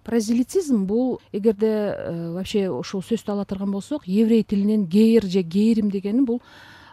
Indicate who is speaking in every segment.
Speaker 1: Прозелитизм бул эгерде вообще ошол сөздү ала турган болсок, еврей тилинен гейр же гейрим дегени бул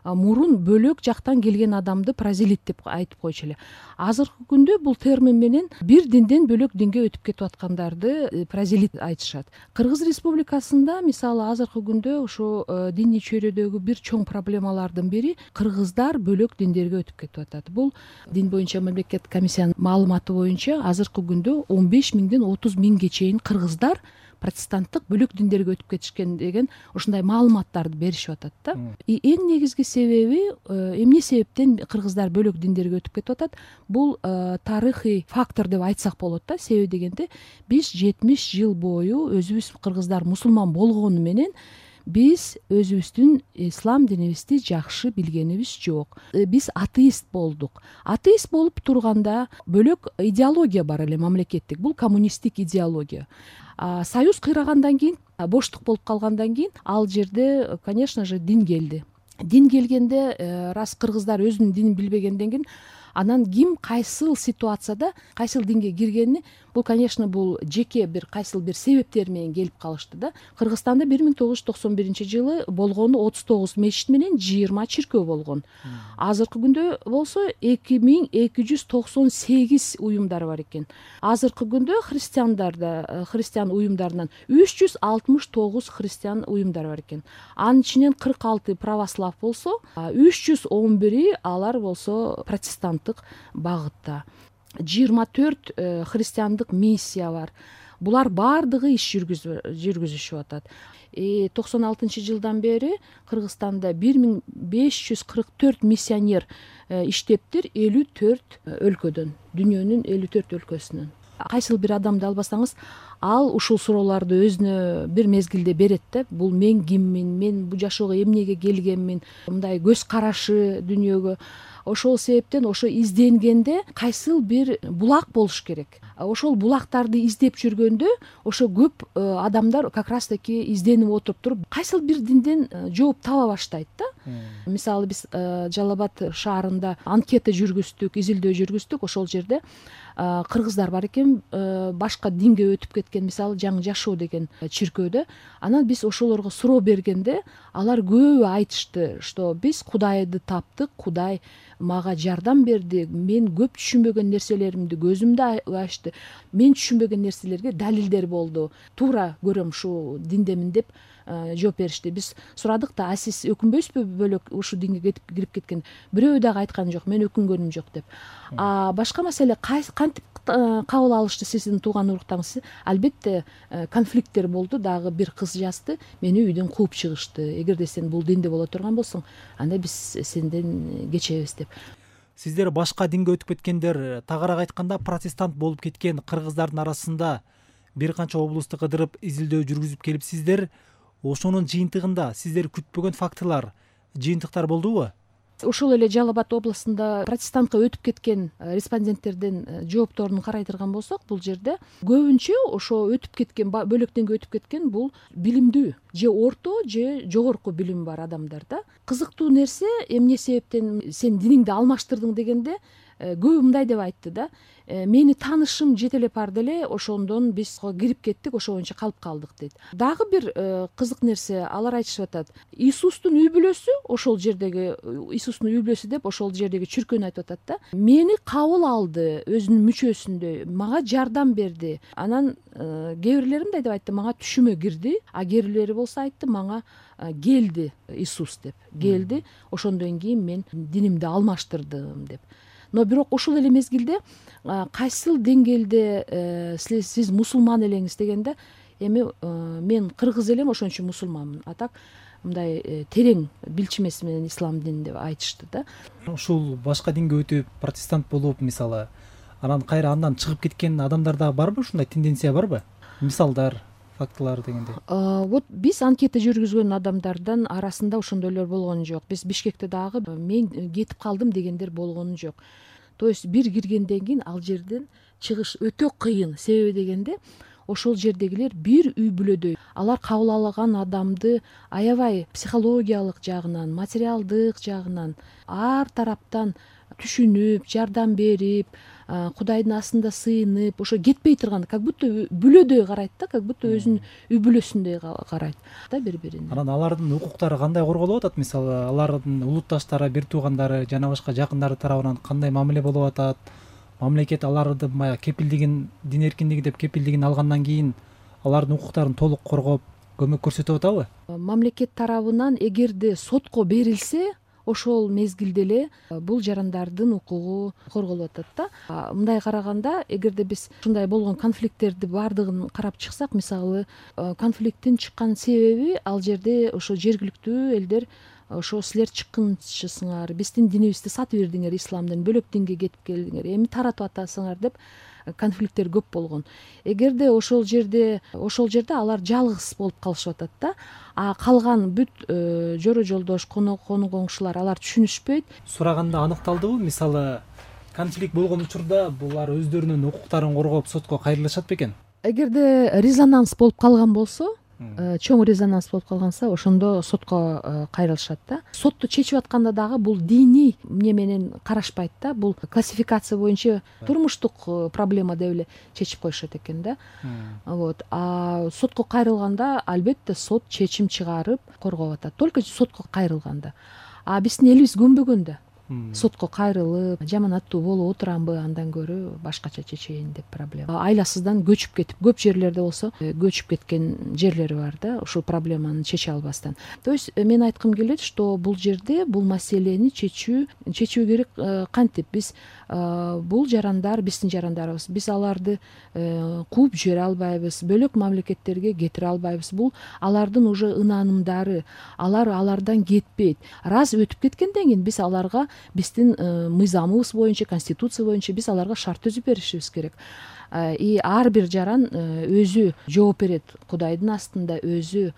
Speaker 1: мурун бөлөк жактан келген адамды прозелит деп айтып койчу эле. Азыркы күндө бул термин менен бир динден бөлөк динге өтүп кетип аткандарды прозелит айтышат. Кыргыз Республикасында мисалы азыркы күндө ошо диний чөйрөдөгү бир чоң проблемалардын бири кыргыздар бөлөк диндерге өтүп кетип атат. Бул дин боюнча мамлекеттик комиссиянын маалыматы боюнча азыркы күндө 15 миңден 30 миңге чейин кыргыздар протестанттык бөлөк диндерге өтүп кетишкен деген ушундай маалыматтарды беришип атат да. Эң негизги себеби эмне себептен кыргыздар бөлөк диндерге өтүп кетип атат? Бул тарыхый фактор деп айтсак болот да. Себеби дегенде биз 70 жыл бою өзүбүз кыргыздар мусулман болгону менен биз өзүбүздүн ислам динибизди жакшы билгенибиз жок. Биз атеист болдук. Атеист болуп турганда бөлөк идеология бар эле мамлекеттик. Бул коммунисттик идеология. Союз кыйрагандан кийин, боштук болуп калгандан кийин ал жерде, конечно же, дин келди. Дин келгенде раз кыргыздар өзүнүн динин билбегенден кийин анан ким кайсыл ситуацияда кайсыл динге киргени бул, конечно, бул жеке бир кайсыл бир себептер менен келип калышты да. Кыргызстанда 1991-жылы болгону 39 мечит менен 20 чиркөө болгон. Азыркы күндө болсо 2298 уюмдар бар экен. Азыркы күндө христиан уюмдарынан 369 христиан уюмдар бар экен. Анын ичинен 46 православ болсо, 311 алар болсо протестанттык багытта. 24 христиандык миссия бар. Булар баардыгы иш жүргүзүшүп атат. 96-жылдан бери Кыргызстанда 1544 миссионер иштептир 54 өлкөдөн, дүйнөнүн 54 өлкөсүнөн. Кайсыл бир адамды албасаңыз, ал ушул суроолорду өзүнө бир мезгилде берет да. Бул мен киммин, мен бул жашоого эмнеге келгенмин, мындай көз карашы дүйнөгө. Ошол себептен ошо изденгенде кайсыл бир булак болуш керек. Ошол булактарды издеп жүргөндө ошо көп адамдар как раз таки изденип отуруп туруп кайсыл бир динден жооп таба баштайт да. Мисалы биз Жалал Абад шаарында анкета жүргүздүк, изилдөө жүргүздүк. Ошол жерде кыргыздар бар экен, башка динге өтүп кеткен, мисалы Жаңы Жашоо деген чиркөөдө. Анан биз ошолорго суроо бергенде алар көбү айтышты, что биз Кудайды таптык, Кудай мага жардам берди, мен көп түшүнбөгөн нерселеримди көзүмдү ачты, мен түшүнбөгөн нерселерге далилдер болду, туура көрөм ушул диндемин деп жооп беришти. Биз сурадык да, сиз өкүнбөйсүзбү бөлөк ушул динге кирип кеткен? Бирөө дагы айткан жок, мен өкүнгөнүм жок деп. Башка маселе кантип кабыл алышты сиздин тууган уруктарыңызды? Албетте конфликттер болду. Дагы бир кыз жазды, мени үйдөн кууп чыгышты. Эгерде сен бул динде боло турган болсоң, анда биз сенден кечебиз деп.
Speaker 2: Сиздер башка динге өтүп кеткендер, тагыраак айтканда протестант болуп кеткен кыргыздардын арасында бир канча облусту кыдырып изилдөө жүргүзүп келипсиздер. Ошонун жыйынтыгында сиздер күтпөгөн фактылар, жыйынтыктар болдубу?
Speaker 1: Ошол эле Жалал Абад областында протестантка өтүп кеткен респонденттердин жоопторун карай турган болсок, бул жерде көбүнчө ошо өтүп кеткен, бөлөк динге өтүп кеткен бул билимдүү же орто же жогорку билими бар адамдар да. Кызыктуу нерсе, эмне себептен сен диниңди алмаштырдың дегенде көбү мындай деп айтты да, мени таанышым жете эле барды эле, ошондон биз кирип кеттик, ошо боюнча калып калдык дейт. Дагы бир кызык нерсе, алар айтышып атат, Иисустун үй бүлөсү, ошол жердеги Иисустун үй бүлөсү деп ошол жердеги чиркөөнү айтып атат да, мени кабыл алды өзүнүн мүчөсүндөй, мага жардам берди. Анан кээ бирлери мындай деп айтты, мага түшүмө кирди, а кээ бирлери болсо айтты, мага келди Иисус деп, келди, ошондон кийин мен динимди алмаштырдым деп. Но бирок ушул эле мезгилде кайсыл деңгээлде сиз мусулман элеңиз дегенде, эми мен кыргыз элем, ошон үчүн мусулманмын. А так мындай терең билчимеси менен ислам динин деп айтышты да.
Speaker 2: Ушул башка динге өтүп, протестант болуп, мисалы, анан кайра андан чыгып кеткен адамдар дагы барбы? Ушундай тенденция барбы? Мисалдар, фактылар дегенде.
Speaker 1: Вот биз анкета жүргүзгөн адамдардын арасында ошондойлор болгон жок. Биз Бишкекте дагы мен кетип калдым дегендер болгон жок. То есть бир киргенден кийин ал жерден чыгыш өтө кыйын. Себеби дегенде ошол жердегилер бир үй бүлөдөй. Алар кабыл алган адамды аябай психологиялык жагынан, материалдык жагынан ар тараптан түшүнүп, жардам берип, кудайдын астында сыйынып ошо кетпей турган, как будто бүлөдөй карайт да, как будто өзүнүн үй бүлөсүндөй карайт да бири бирине.
Speaker 2: Анан алардын укуктары кандай корголуп атат? Мисалы алардын улутташтары, бир туугандары жана башка жакындары тарабынан кандай мамиле болуп атат? Мамлекет алардын баягы кепилдигин, дин эркиндиги деп кепилдигин алгандан кийин алардын укуктарын толук коргоп көмөк көрсөтүп атабы?
Speaker 1: Мамлекет тарабынан эгерде сотко берилсе, ошол мезгилде эле бул жарандардын укугу корголуп атат да. Мындай караганда, эгерде биз ушундай болгон конфликттерди баардыгын карап чыксак, мисалы конфликттин чыккан себеби ал жерде ошо жергиликтүү элдер ошо силер чыккынчысыңар, биздин динибизди сатып бердиңер, исламдын бөлөк динге кетип келдиңер, эми таратып атасыңар деп конфликттер көп болгон. Эгерде ошол жерде алар жалгыз болуп калышып атат да, а калган бүт жоро жолдош, кону коңшулар алар түшүнүшпөйт.
Speaker 2: Сураганда аныкталдыбы? Мисалы конфликт болгон учурда булар өздөрүнүн укуктарын коргоп сотко кайрылышат бекен?
Speaker 1: Эгерде резонанс болуп калган болсо, чоң резонанс болуп калганса, ошондо сотко кайрылышат да. Сотту чечип атканда дагы бул диний эмне менен карашпайт да, бул классификация боюнча турмуштук проблема деп эле чечип коюшат экен да. Вот. А сотко кайрылганда албетте сот чечим чыгарып коргоп атат, только сотко кайрылганда. А биздин элибиз көнбөгөн да. Сотко кайрылып, жаман аттуу болуп отурамбы, андан көрө башкача чечейин деп проблема. Айласыздан көчүп кетип, көп жерлерде болсо көчүп кеткен жерлери бар да, ушул проблеманы чече албастан. То есть мен айткым келет, что бул жерде бул маселени чечүү керек. Кантип биз бул жарандар биздин жарандарыбыз, биз аларды кууп жибере албайбыз, бөлөк мамлекеттерге кетире албайбыз. Бул алардын уже ынанымдары, алардан кетпейт. Раз өтүп кеткенден кийин биз аларга биздин мыйзамыбыз боюнча, конституция боюнча биз аларга шарт түзүп беришибиз керек. И ар бир жаран өзү жооп берет, Кудайдын астында өзү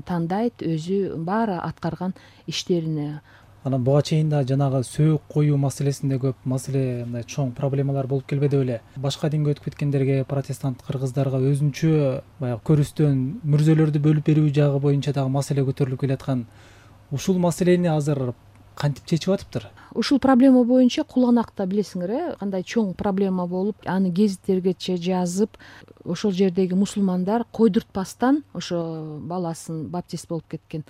Speaker 1: тандайт, өзү баары аткарган иштерине.
Speaker 2: Анан буга чейин да жанагы сөөк коюу маселесинде көп маселе, мындай чоң проблемалар болуп келбеди беле? Башка динге өтүп кеткендерге, протестант кыргыздарга өзүнчө баягы көрүстөн мүрзөлөрдү бөлүп берүү жагы боюнча дагы маселе көтөрүлүп келаткан. Ушул маселени азыр кантип чечип атыптыр? Ушул
Speaker 1: проблема боюнча Куланакта билесиңер, кандай чоң проблема болуп, аны гезиттерге жазып, ошол жердеги мусулмандар койдуртпастан ошо баласын баптист болуп кеткен.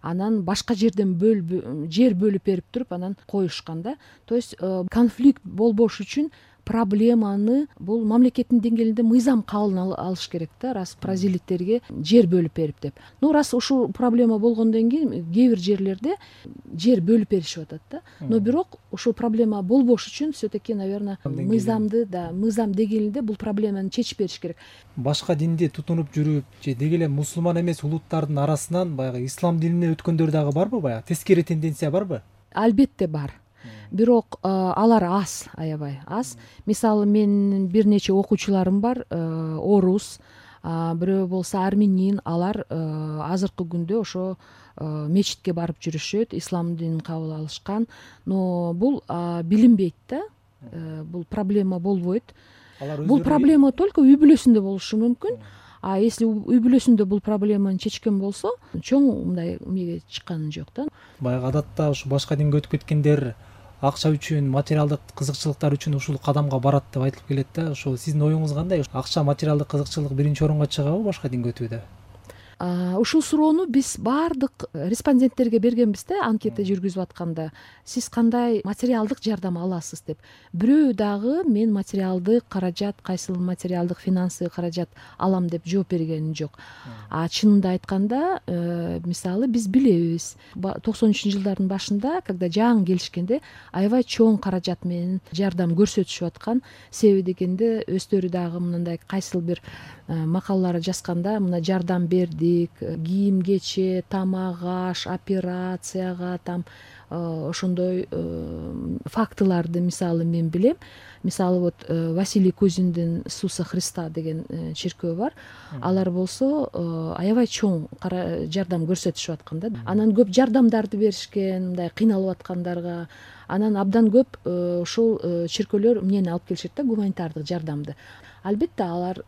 Speaker 1: Анан башка жерден жер бөлүп берип туруп, анан коюшкан да. То есть конфликт болбош үчүн проблеманы бул мамлекеттин деңгээлинде мыйзам кабыл алыш керек да, раз бразиликтерге жер бөлүп берип деп. Раз ушул проблема болгондон кийин кээ бир жерлерде жер бөлүп беришип атат да. Но бирок ушул проблема болбош үчүн все-таки, наверное, мыйзам деңгээлинде бул проблеманы чечип бериш керек.
Speaker 2: Башка динди тутунуп жүрүп, же деги эле мусулман эмес улуттардын арасынан баягы ислам динине өткөндөр дагы барбы? Баягы тескери тенденция барбы?
Speaker 1: Албетте бар. Бирок алар аябай аз. Мисалы менин бир нече окуучуларым бар, орус, бирөө болсо армянин, алар азыркы күндө ошо мечитке барып жүрүшөт, ислам динин кабыл алышкан. Но бул билинбейт да, бул проблема болбойт. Бул проблема только үй бүлөсүндө болушу мүмкүн. А если үй бүлөсүндө бул проблеманы чечкен болсо, чоң мындай эмеге чыкканы жок да.
Speaker 2: Баягы адатта ушу башка динге өтүп кеткендер акча үчүн, материалдык кызыкчылыктар үчүн ушул кадамга барат деп айтылып келет да. Ошо сиздин оюңуз кандай? Акча, материалдык кызыкчылык биринчи орунга чыгабы башка динге өтүүдө?
Speaker 1: Ушул суроону биз баардык респонденттерге бергенбиз да, анкета жүргүзүп атканда. Сиз кандай материалдык жардам аласыз деп. Бирөө дагы мен материалдык каражат, кайсыл материалдык финансы каражат алам деп жооп берген жок. Чынында айтканда, мисалы биз билебиз, 90-жылдардын башында, когда жаңы келишкенде, аябай чоң каражат менен жардам көрсөтүшүп аткан. Себеби дегенде өздөрү дагы мындай кайсыл бир макалалар жазганда, мына жардам бердик, кийим кече, тамак аш, операцияга там ошондой фактыларды мисалы мен билем. Мисалы вот Василий Кузиндин Иисуса Христа деген чиркөө бар. Алар болсо аябай чоң жардам көрсөтүшүп аткан да. Анан көп жардамдарды беришкен, мындай кыйналып аткандарга. Анан абдан көп ошол чиркөөлөр эмнени алып келишет да, гуманитардык жардамды. Албетте алар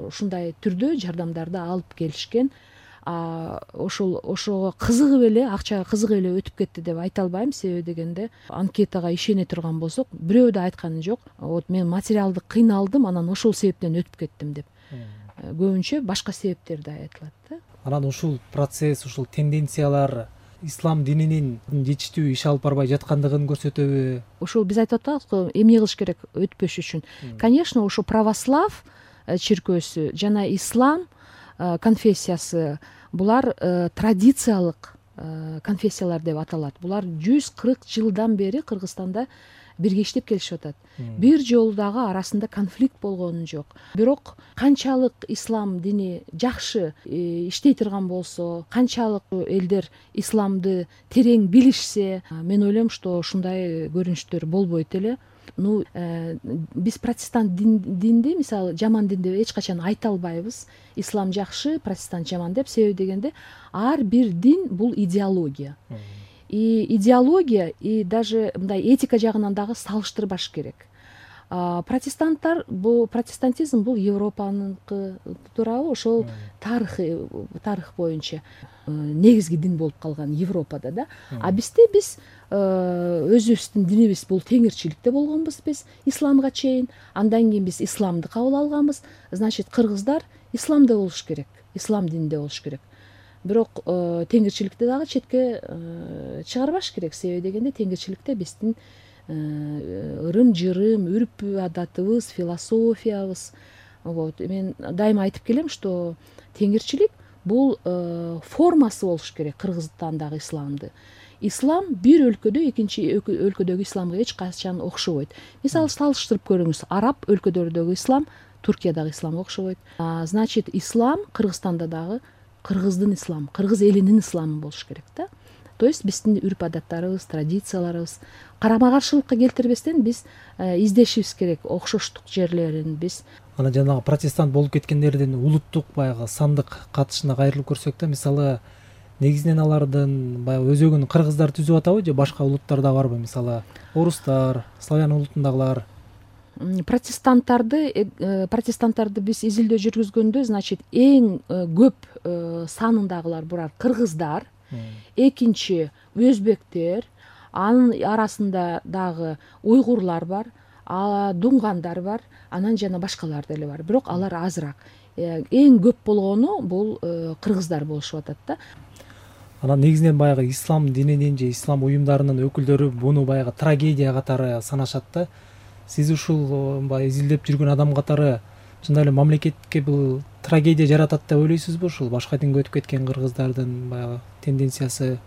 Speaker 1: ушундай түрдө жардамдарды алып келишкен. ошого кызыгып эле, акчага кызыгып эле өтүп кетти деп айта албайм. Себеби дегенде анкетага ишене турган болсок, бирөө да айткан жок, вот мен материалдык кыйналдым, анан ошол себептен өтүп кеттим деп. Көбүнчө башка себептер да айтылат да.
Speaker 2: Анан ушул процесс, ушул тенденциялар ислам дининин жетиштүү иш алып барбай жаткандыгын көрсөтөбү?
Speaker 1: Ошол биз айтып атабыз го, эмне кылыш керек өтпөш үчүн. Конечно, ошо православ чиркөөсү жана ислам конфессиясы булар традициялык конфессиялар деп аталат. Булар 140 жылдан бери Кыргызстанда бирге иштеп келишип атат. Бир жолу дагы арасында конфликт болгон жок. Бирок канчалык ислам дини жакшы иштей турган болсо, канчалык элдер исламды терең билишсе, мен ойлойм, что ушундай көрүнүштөр болбойт эле. Биз протестант динди, мисалы, жаман дин деп эч качан айта албайбыз. Ислам жакшы, протестант жаман деп. Себеби дегенде ар бир дин бул идеология. И идеология, и даже мындай этика жагынан дагы салыштырбаш керек. Протестантизм бул Европаныкы, туурабы? Ошол тарых боюнча негизги дин болуп калган Европада да. А бизде биз өзүбүздүн динибиз бул теңирчиликте болгонбуз биз исламга чейин. Андан кийин биз исламды кабыл алганбыз. Значит, кыргыздар исламда болуш керек, ислам дининде болуш керек. Бирок теңирчиликти дагы четке чыгарбаш керек. Себеби дегенде теңирчиликте биздин ырым-жырым, үрп адатыбыз, философиябыз. Вот. Мен дайыма айтып келем, что теңирчилик бул формасы болуш керек Кыргызстандагы исламды. Ислам бир өлкөдө экинчи өлкөдөгү исламга эч качан окшобойт. Мисалы, салыштырып көрүңүз, араб өлкөлөрдөгү ислам Туркиядагы исламга окшобойт. Значит, ислам Кыргызстанда дагы кыргыздын исламы, кыргыз элинин исламы болуш керек да. То есть биздин үрп адаттарыбыз, традицияларыбыз карама каршылыкка келтирбестен биз издешибиз керек окшоштук жерлерин. Биз
Speaker 2: анан жанагы протестант болуп кеткендердин улуттук баягы сандык катышына кайрылып көрсөк да, мисалы, негизинен алардын баягы өзөгүн кыргыздар түзүп атабы же башка улуттар да барбы? Мисалы, орустар, славян улутундагылар. Протестанттарды биз изилдөө жүргүзгөндө, значит, эң көп санындагылар булар кыргыздар, экинчи өзбектер, анын арасында дагы уйгурлар бар, дуңгандар бар, анан жана башкалар деле бар. Бирок алар азыраак. Эң көп болгону бул кыргыздар болушуп атат да. Анан негизинен баягы ислам дининин же ислам уюмдарынын өкүлдөрү буну баягы трагедия катары санашат да. Сиз ушул баягы изилдеп жүргөн адам катары чындап эле мамлекетке бул трагедия жаратат деп ойлойсузбу? Ушул башка динге өтүп кеткен кыргыздардын баягы тенденциясы.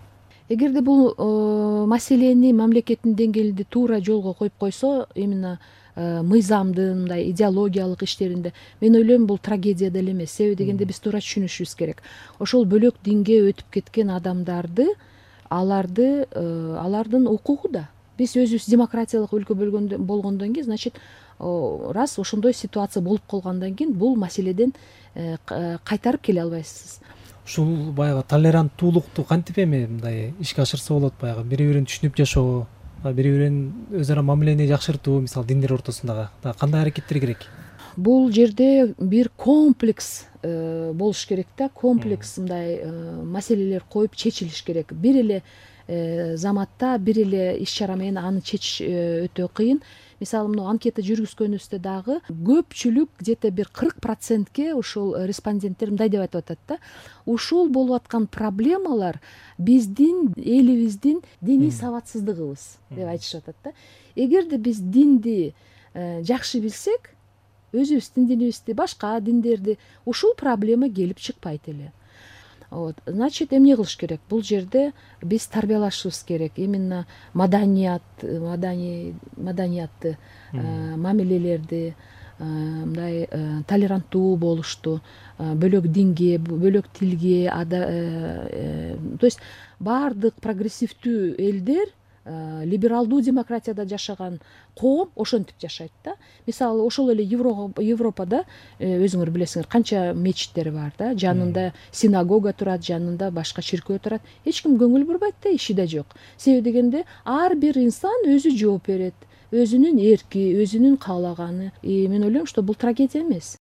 Speaker 1: Эгерде бул маселени мамлекеттин деңгээлинде туура жолго коюп койсо, именно мыйзамдын мындай идеологиялык иштеринде, мен ойлойм, бул трагедия деле эмес. Себеби дегенде биз туура түшүнүшүбүз керек. Ошол бөлөк динге өтүп кеткен адамдарды, алардын укугу да. Биз өзүбүз демократиялык өлкө болгондон кийин, значит, раз ошондой ситуация болуп калгандан кийин бул маселеден кайтарып келе албайсыз.
Speaker 2: Ушул баягы толеранттуулукту кантип эми мындай ишке ашырса болот? Баягы бири-бирин түшүнүп жашоо, бири-бирин өз ара мамилени жакшыртуу, мисалы, диндер ортосундагы кандай аракеттер керек?
Speaker 1: Бул жерде бир комплекс болуш керек да, комплекс мындай маселелер коюп чечилиш керек. Бир эле заматта, бир эле иш чара менен аны чечиш өтө кыйын. Мисалы, мына анкета жүргүзгөнүбүздө дагы көпчүлүк где-то бир 40%ке ушул респонденттер мындай деп айтып атат да. Ушул болуп аткан проблемалар биздин элибиздин диний сабатсыздыгыбыз деп айтышып атат да. Эгерде биз динди жакшы билсек, өзүбүздүн динибизди, башка диндерди, ушул проблема келип чыкпайт эле. Вот. Значит, эмне кылыш керек? Бул жерде биз тарбиялашыбыз керек. Именно маданиятты, мамилелерди, мындай толеранттуу болушту, бөлөк динге, бөлөк тилге, то есть баардык прогрессивдүү элдер, либералдуу демократияда жашаган коом ошентип жашайт да. Мисалы, ошол эле Европада өзүңөр билесиңер, канча мечиттер бар да, жанында синагога турат, жанында башка чиркөө турат. Эч ким көңүл бурбайт да, иши да жок. Себеби дегенде ар бир инсан өзү жооп берет, өзүнүн эрки, өзүнүн каалаганы. Мен ойлойм, что бул трагедия эмес.